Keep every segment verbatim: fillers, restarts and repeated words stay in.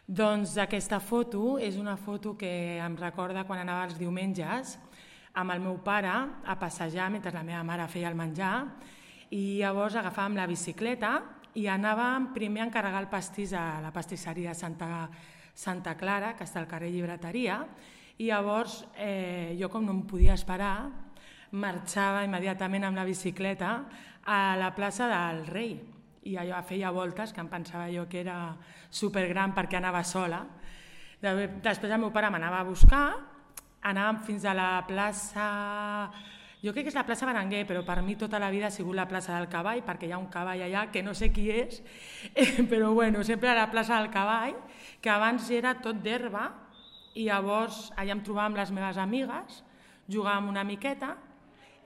Doncs aquesta foto és una foto que em recorda quan anava els diumenges amb el meu pare a passejar mentre la meva mare feia el menjar i llavors agafàvem la bicicleta i anàvem primer a encarregar el pastís a la pastisseria Santa, Santa Clara, que està al carrer Llibreteria, i llavors eh, jo, com no em podia esperar, marxava immediatament amb la bicicleta a la plaça del Rei. I allò feia voltes, que em pensava jo que era supergran perquè anava sola. Després el meu pare m'anava a buscar, anàvem fins a la plaça... Jo crec que és la plaça Berenguer, però per mi tota la vida ha sigut la plaça del Cavall, perquè hi ha un cavall allà que no sé qui és, però bueno, sempre a la plaça del Cavall, que abans era tot d'herba, i llavors allà em trobàvem les meves amigues, jugàvem una miqueta,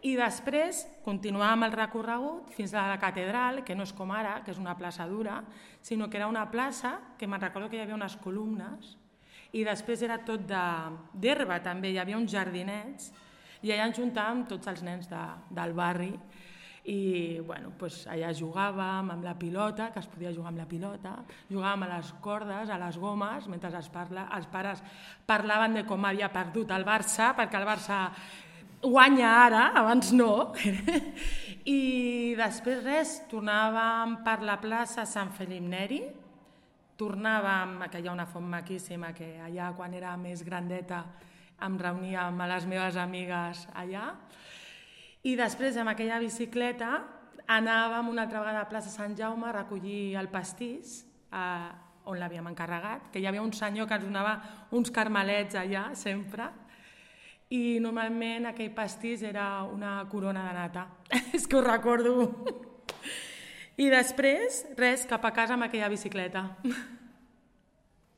i després continuàvem el recorregut fins a la catedral, que no és com ara, que és una plaça dura, sinó que era una plaça que me'n recordo que hi havia unes columnes i després era tot d'herba també, hi havia uns jardinets i allà ens juntàvem tots els nens de, del barri i bueno, doncs allà jugàvem amb la pilota, que es podia jugar amb la pilota, jugàvem a les cordes, a les gomes, mentre els, parla, els pares parlaven de com havia perdut el Barça, perquè el Barça guanya ara, abans no, i després res, tornàvem per la plaça Sant Felip Neri, tornàvem, que hi ha una font maquíssima, que allà quan era més grandeta em reunia amb les meves amigues allà, i després amb aquella bicicleta anàvem una altra vegada a plaça Sant Jaume a recollir el pastís, eh, on l'havíem encarregat, que hi havia un senyor que ens donava uns carmelets allà, sempre, i normalment aquell pastís era una corona de nata. És que ho recordo. I després, res, cap a casa amb aquella bicicleta.